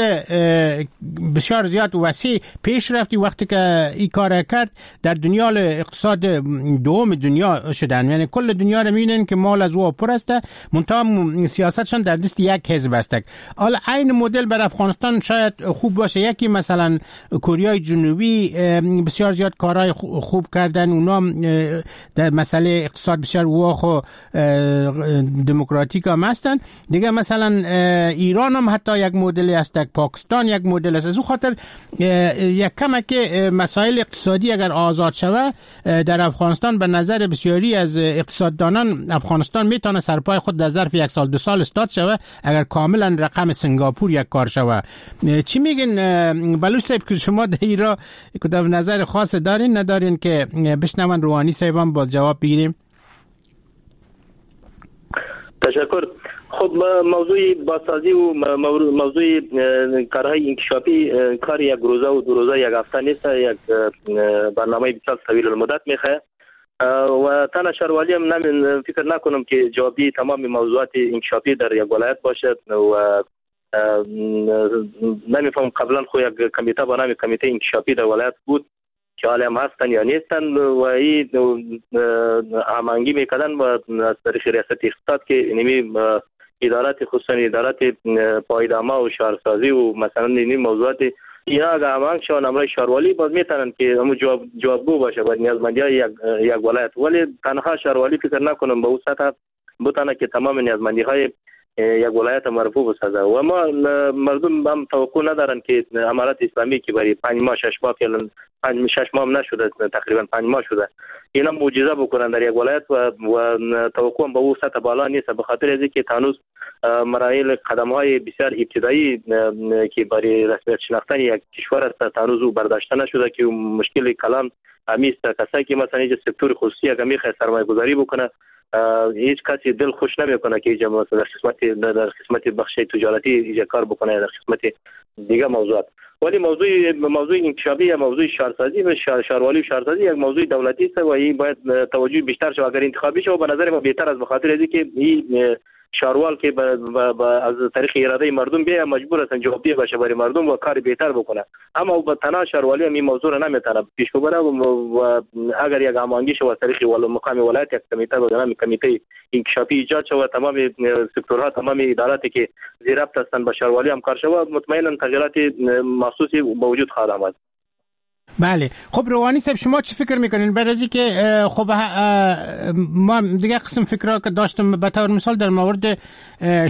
بسیار زیاد وسیع پیش رفتی. وقتی که این کار کرد در دنیا اقتصاد دوم دنیا شدن، یعنی کل دنیا را میبینن که مال از او پر است، منتها سیاستشان در دست یک حزب است. حالا عین مدل بر افغانستان شاید خوب باشه. یکی مثلا کوریای جنوبی بسیار زیاد کارهای خوب کردن، اونا در مسئله اقتصاد بسیار واخ و دموکراتیک هم هستن. دیگه مثلا ایران هم حتی یک مدل است، پاکستان یک مدل است. از او خاطر یک کمک مسائل اقتصادی اگر آزاد شوه در افغانستان، به نظر بسیاری از اقتصاددانان افغانستان میتونه سرپای خود در ظرف یک سال دو سال استاد شوه اگر کاملا رقم سنگاپور یک کار شوه. چی میگن بلوچ صاحب که شما در ایران کدام نظر خاص دارین ندارین که بشنون روحانی صاحب هم باز جواب بگیریم؟ تشکر. خب موضوع بازسازی و موضوع کارهای انکشافی کار یک روزه و دو روزه یک هفته نیست، یک برنامه بسیار طویل المدت میخواه و تنها شاروالی هم نمی فکر نکنم که جوابی تمام موضوعات انکشافی در یک ولایت باشد و نمیفهم قبلا خو یک کمیته با نام کمیته انکشافی در ولایت بود که حالا هم هستن یا نیستن و این هماهنگی میکردن و از طریق ریاست اقتصاد که نمی ادارات خصوصا ادارات پایدامه و شهرسازی و مثلا این موضوعات اینا اگر هماهنگ شوند همراه شاروالی باز میتونن که همون جواب جوابگو باشه باید نیازمندی های یک یک ولایت، ولی تنها شاروالی فکر نکنم به اون سطح بتونه که تمام نیازمندی های یک ولایت مرفوع بسازه. و ما مردم هم توقع ندارن که امارت اسلامی که برای پنج ماه شش ماه فعلا پنج شش ماه هم نشده، تقریبا پنج ماه شده، اینا معجزه بکنن در یک ولایت و, و توقع هم به او سطح بالا نیست، به خاطر از اینکه هنوز مراحل قدم های بسیار ابتدایی که برای رسمیت شناختن یک کشور است هنوز او برداشته نشده که مشکل کلام همیست. کسایی که مثلا اینجا سکتور خصوصی اگر میخواد سرمایه گذاری بکنه هیچ کسی دل خوش نمیکنه که اینجا مثلا در قسمت در قسمت بخش تجارتی اینجا کار بکنه در قسمت دیگه موضوعات. ولی موضوع موضوع انکشافی یا موضوع شهرسازی و شهروالی و شهرسازی یک موضوع دولتی است و این باید توجه بیشتر شود. اگر انتخابی شود به نظر ما بهتر است، به خاطر از اینکه این شاروال که با با از طریق اراده مردم بیه مجبور هستن جوابدهی باشه برای مردم و کار بهتر بکنه، اما با تنها شاروالی هم این موضوع را نمیتونه پیش ببره و, و اگر یک هماهنگی شود از طریق ول مقام ولایت یک کمیته به نام کمیته انکشافی ایجاد شود، تمام سکتورها تمام اداراتی که زیر ربط هستند با شاروالی هم کار شود، مطمئنا تغییرات مخصوصی به وجود خواهد آمد. بله خب روحانی صاحب شما چی فکر میکنین؟ برای از که خب ما دیگه قسم فکرها که داشتم به طور مثال در مورد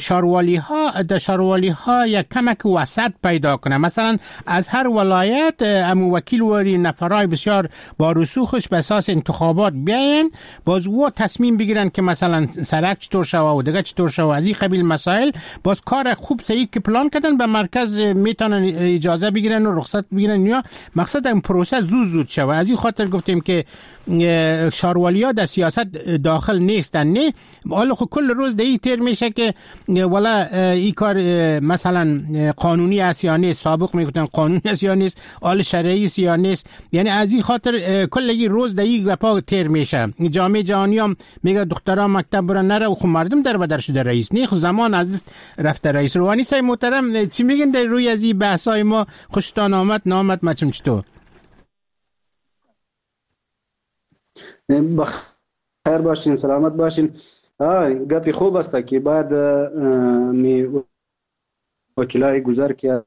شاروالی ها، در شاروالی ها یک کمک وسط پیدا کنه، مثلا از هر ولایت امو وکیل وری نفرای بسیار با رسوخش به اساس انتخابات بیاین، باز او تصمیم بگیرن که مثلا سرک چطور شوه و دیگه چطور شوه، از این قبیل مسائل باز کار خوب صحیح که پلان کردن به مرکز میتونن اجازه بگیرن و رخصت بگیرن، یا مقصد پروسه زود زود شوه. از این خاطر گفتیم که شاروالیا در سیاست داخل نیستن. نه حالا خب کل روز در این تیر میشه که والا این کار مثلا قانونی است یا نیست، سابق میگفتن قانونی است یا نیست، حال شرعی است یا نیست. یعنی از این خاطر کل این روز در این گپا تیر میشه. جامعه جهانی هم میگه دخترها مکتب برن نره و خب مردم در بدر شده رئیس نه، خب زمان از دست رفته. رئیس روحانی سای محترم چی میگن در روی از این بحث‌های ما؟ خوشتان آمد نامد مچم چطور؟ بخیر باشین، سلامت باشین. آه گپی خوب است که بعد می وکیلای گذر که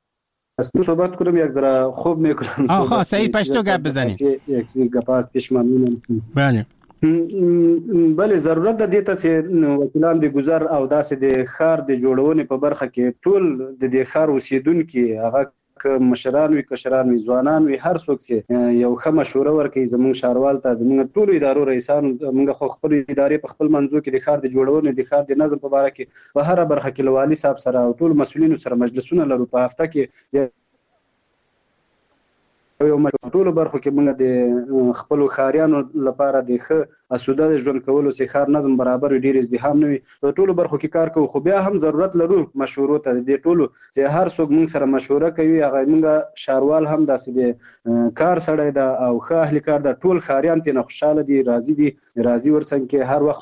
است صحبت کنم یک ذره خوب میکنم. آها صحیح پشتو گپ بزنید. یک چیز گپ است پیش من. بله بله ضرورت د دې ته چې وکیلان د گذر او داسې د ښار د جوړونې په برخه کې ټول د دې ښار اوسیدونکي، هغه که مشران وي، کشران وي، ځوانان وي، هر څوک چې یو ښه مشوره ورکوي زموږ ښاروال ته، زموږ ټولو ادارو رئیسانو، موږ خو خپل ادارې په خپل منځو کې د ښار د جوړونې، د ښار د نظم په باره کې په هره برخه کې له والي صاحب سره او ټولو مسؤلینو سره مجلسونه لرو. په هفته کې یو ټولو برخو کې موږ د خپلو ښاریانو لپاره د ښه اسوده د ژوند کولو چې ښار نظم برابر وي، ډېر ازدحام نه وي، په ټولو برخو کې کار کوو. خو بیا هم ضرورت لرو مشورو ته، د دې ټولو چې هر څوک موږ سره مشوره کوي، هغه موږ ښاروال هم داسې د کار سړی ده او ښه اهل کار ده، ټول ښاریان ترې نه خوشحاله دي، راضي دي، راضي ورڅنګ کې هر وخت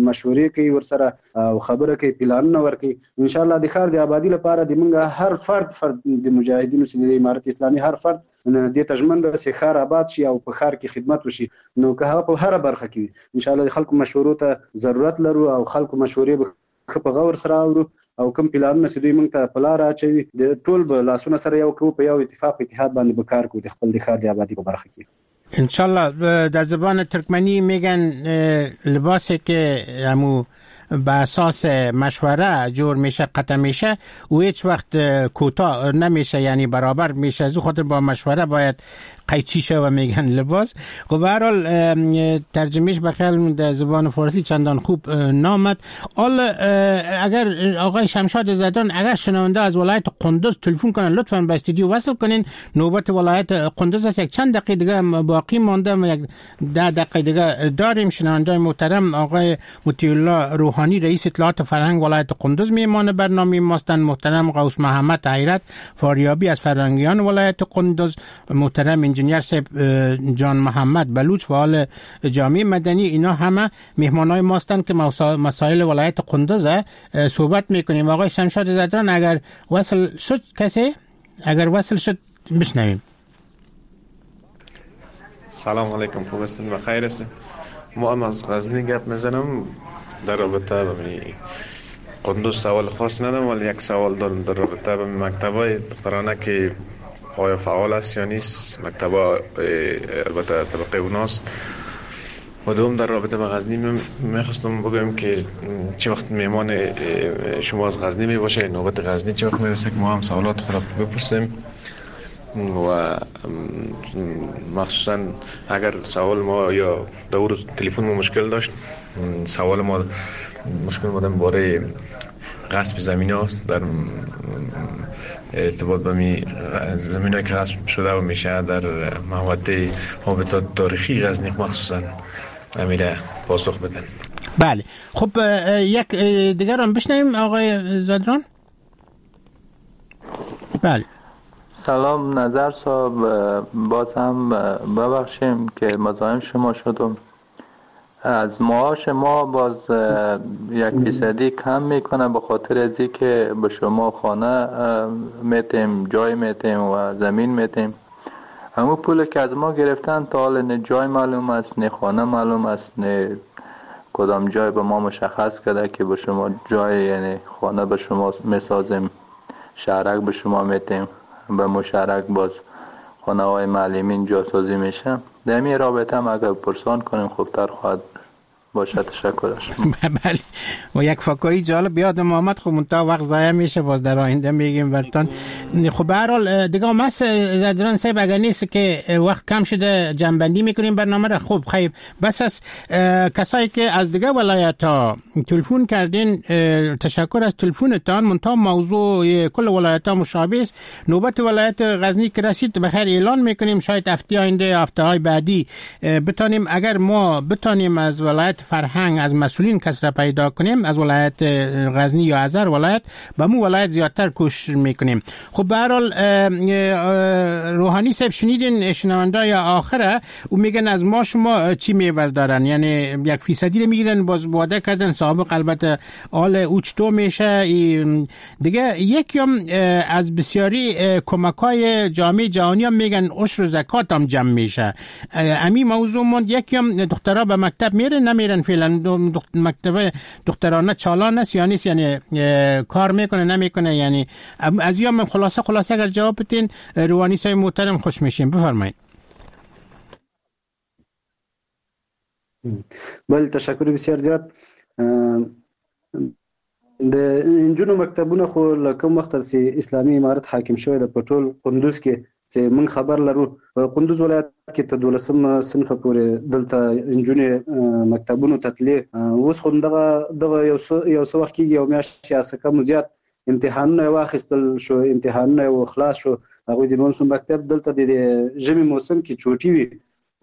مشورې کوي ورسره او خبره کوي، پلانونه ورکوي. ان شاء الله د ښار د آبادي لپاره د موږ هر فرد فرد د مجاهدینو چې د امارت اسلامي هر فرد دې ته ژمن ده چې ښار آباد شي او په ښار کې خدمت وشي، نو که هغه په هره برخه کې وي ان شاء الله د خلکو مشورو ته ضرورت لرو او خلکو مشورې به ښه په غور سره اورو او کوم پلانونه چې دوی موږ ته په لاره اچوي د ټول به لاسونه سره یو کوو، په یو اتفاق و اتحاد باندې به کار کوو د خپل د ښار د آبادي په برخه کې. انشالله. در زبان ترکمنی میگن لباسی که همو به اساس مشوره جور میشه قطع میشه و هیچ وقت کوتاه نمیشه، یعنی برابر میشه. از خاطر با مشوره باید قیچی شه و میگن لباس. خب به هر حال ترجمهش به خیال در زبان فارسی چندان خوب نامد. حالا اگر آقای شمشاد زدان اگر شنونده از ولایت قندوز تلفن کنن لطفاً به استودیو وصل کنین. نوبت ولایت قندوز است، یک چند دقیقه دیگه باقی مانده، یک ده دقیقه دیگه داریم. شنونده محترم آقای مطیع الله روحانی رئیس اطلاعات فرهنگ ولایت قندوز میمان برنامه ماستند، محترم غوث محمد حیرت فاریابی از فرهنگیان ولایت قندوز، محترم انجینیر صاحب جان محمد بلوچ فعال جامعه مدنی، اینا همه مهمانای ماستند که مسائل ولایت قندوز صحبت میکنیم. آقای شمشاد زدران اگر وصل شد کسی، اگر وصل شد بشنویم. سلام علیکم، خوب هستین؟ بخیر هستین؟ ما هم از غزنی گپ میزنم در رابطه با قندوز سوال خاص ندارم، ولی یک سوال دارم در رابطه با مکتبای دخترانه که آیا فعال است یا نیست، مکتبا البته طبقه اوناست. و دوم در رابطه با غزنی میخواستم بگم که چه وقت میمان شما از غزنی میباشه، نوبت غزنی چه وقت میرسه که ما هم سوالات خود را بپرسیم و مخصوصا اگر سوال ما یا دور تلفن ما مشکل داشت، سوال ما مشکل ما درباره غصب زمین هاست در ارتباط با می زمین هایی که غصب شده و میشه در محوطه هابیتات تاریخی غزنی مخصوصا امیره پاسخ بدن. بله خب یک دیگر هم بشنویم آقای زدران. بله سلام نظر صاحب، باز هم ببخشیم که مزاحم شما شدم. از معاش ما باز یک فیصدی کم میکنه به خاطر از که به شما خانه میتیم، جای میتیم و زمین میتیم. همون پول که از ما گرفتن تا حال نه جای معلوم است، نه خانه معلوم است، نه کدام جای به ما مشخص کرده که به شما جای، یعنی خانه به شما میسازیم، شهرک به شما میتیم، به مشارک باز خانه های معلمین جاسازی میشه. در این رابطه هم اگر پرسان کنیم خوبتر خواهد باشد. تشکر از شما. بله و یک فکایی جالب یادم آمد، خب منتها وقت ضایع میشه، باز در آینده میگیم براتون. خب به هر حال دیگه مس زدران صاحب اگر نیست که وقت کم شده جنبندی میکنیم برنامه را. خب خیلی بس از کسایی که از دیگه ولایت ها تلفن کردین تشکر از تلفنتان، منتها موضوع کل ولایت ها مشابه است. نوبت ولایت غزنی که رسید بخیر اعلان میکنیم، شاید هفته آینده هفته های بعدی بتانیم، اگر ما بتانیم از ولایت فرهنگ از مسئولین کس را پیدا کنیم از ولایت غزنی یا از هر ولایت، به مو ولایت زیادتر کوشش میکنیم. خب به هر حال روحانی صاحب شنیدین شنوندای آخره او میگن از ما شما چی میبردارن، یعنی یک فیصدی رو میگیرن، باز وعده کردن سابق البته آل او چطور میشه دیگه. یکی هم از بسیاری کمک های جامعه جهانی هم میگن عشر و زکات هم جمع میشه، امی موضوع موند. یکی هم دخترها به مکتب میرن نمیرن، فعلا مکتب دخترانه چالان است یا نیست، یعنی کار میکنه نمیکنه، یعنی از یا من خلاصه خلاصه اگر جواب بدین روحانی صاحب محترم خوش میشیم، بفرمایید. بله تشکر بسیار زیات. د انجونو مکتبونه خو له کوم وخت چې اسلامي امارت حاکم شوی د په ټول قندوز کې چې موږ خبر لرو، په قندوز ولایت کې تر دولسم صنفه پورې دلته انجونې مکتبونو ته تلې. اوس خو دغه دغه یو څه یو څه وخت کېږي، یو میاشت یا څه کم زیات امتحانونه یې واخیستل شو، امتحانونه یې خلاص شو. هغوی د نولسم مکتب دلته د ژمي موسم کې چوټي وي،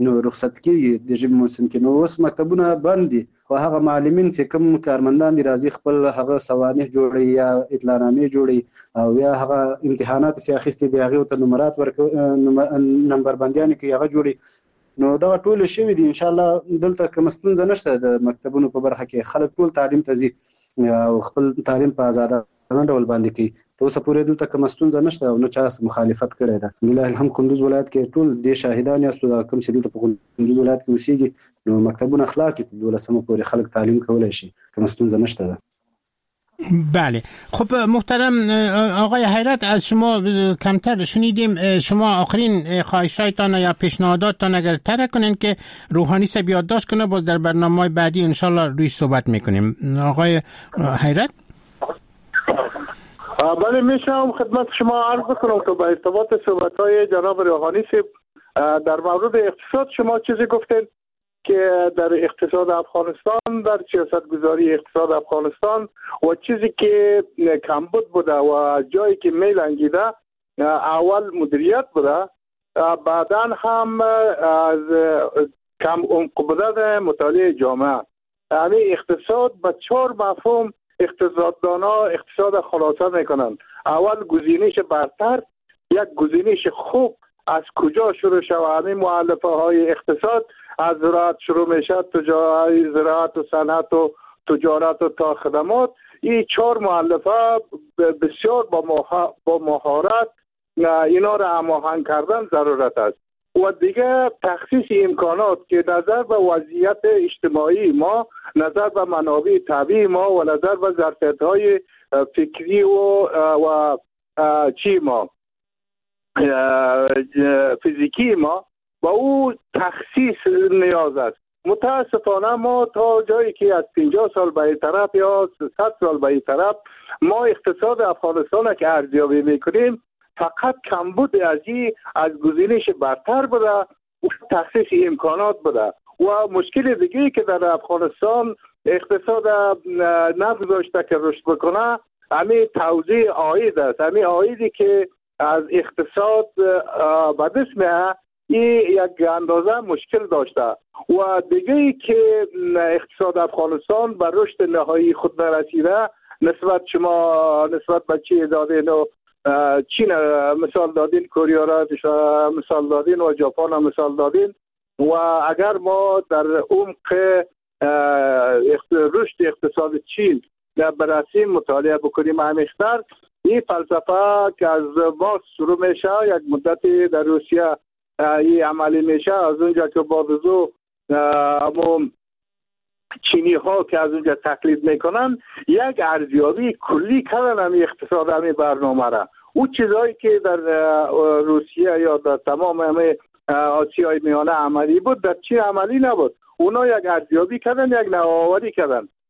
نو رخصت کېږي د ژمي موسم کې، نو اوس مکتبونه بند دي. خو هغه معلمین چې کوم کارمندان دي راځي خپل هغه سوانح جوړوي یا اطلاعنامې جوړوي او یا هغه امتحانات چې اخیستي دي هغې ته نمرات ورکوي، نمبر بندیانې کوي هغه جوړوي. نو دغه ټول شوي دي. ان شاء الله دلته کومه ستونزه نشته د مکتبونو په برخه کې، خلک ټول تعلیم ته ځي او خپل تعلیم په ازادانه ډول باندې کوي. تر اوسه پورې دلته کومه ستونزه نشته او نه چا مخالفت کړی ده. لله الحمد کندوز ولایت کې ټول دې شاهدان یاستو، دا کوم چې دلته په کندوز ولایت کې اوسېږي نو مکتبونه خلاص دي، تر دولسمه پورې خلک تعلیم کولی شي، کومه ستونزه نشته ده. بله خب محترم آقای حیرت از شما کمتر شنیدیم، شما آخرین خواهشایتان یا پیشنهاداتتان اگر ترک کنین که روحانی صاحب یادداشت کنه، باز در برنامه بعدی انشالله روی صحبت میکنیم. آقای حیرت. بله میشم خدمت شما عرض کنم که با ارتباط صحبت‌های جناب روحانی صاحب در مورد اقتصاد شما چیزی گفتین که در اقتصاد افغانستان، در سیاست گذاری اقتصاد افغانستان و چیزی که کمبود بوده و جایی که میلنگیده اول مدیریت بوده، بعداً هم از کم عمق بودن مطالعه جامعه. یعنی اقتصاد به چهار مفهوم اقتصاددانا اقتصاد خلاصه میکنن. اول گزینش برتر، یک گزینش خوب از کجا شروع شود؟ همین مؤلفه های اقتصاد از زراعت شروع میشه، تجارت، زراعت و صنعت و تجارت و تا خدمات. این چهار مؤلفه بسیار با با مهارت اینا را هماهنگ کردن ضرورت است. و دیگه تخصیص امکانات که نظر به وضعیت اجتماعی ما، نظر به منابع طبیعی ما و نظر به ظرفیت‌های فکری و و چی ما فیزیکی ما با او تخصیص نیاز است. متاسفانه ما تا جایی که از پنجاه سال به این طرف یا صد سال به این طرف ما اقتصاد افغانستان که ارزیابی میکنیم فقط کمبود از این از گزینش برتر بوده و تخصیص امکانات بوده. و مشکل دیگه که در افغانستان اقتصاد نگذاشته که رشد بکنه همین توزیع عاید است. همین عایدی که از اقتصاد به دست میاد این یک اندازه مشکل داشته. و دیگه ای که اقتصاد افغانستان به رشد نهایی خود نرسیده، نسبت شما نسبت به چی دادین و چین مثال دادین، کوریا را مثال دادین و ژاپن را مثال دادین، و اگر ما در عمق رشد اقتصاد چین بررسی مطالعه بکنیم عمیق‌تر، این فلسفه که از باز شروع میشه یک مدتی در روسیه این عملی میشه، از اونجا که بعد از او چینی ها که از اونجا تقلید میکنن یک ارزیابی کلی کردن همین اقتصاد همین برنامه را. او چیزهایی که در روسیه یا در تمام همه آسیای میانه عملی بود در چین عملی نبود. اونا یک ارزیابی کردن، یک نوآوری کردن.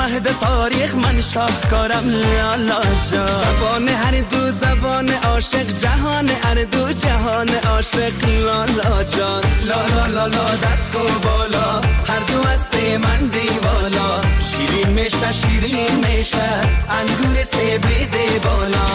مهد تاریخ من شاهکارم لالا جان. زبان هر دو زبان عاشق، جهان هر دو جهان عاشق لالا جان. لا لا لا دست و بالا، هر دو هسته من دیوالا، شیرین میشه شیرین میشه انگور سیبیده بالا.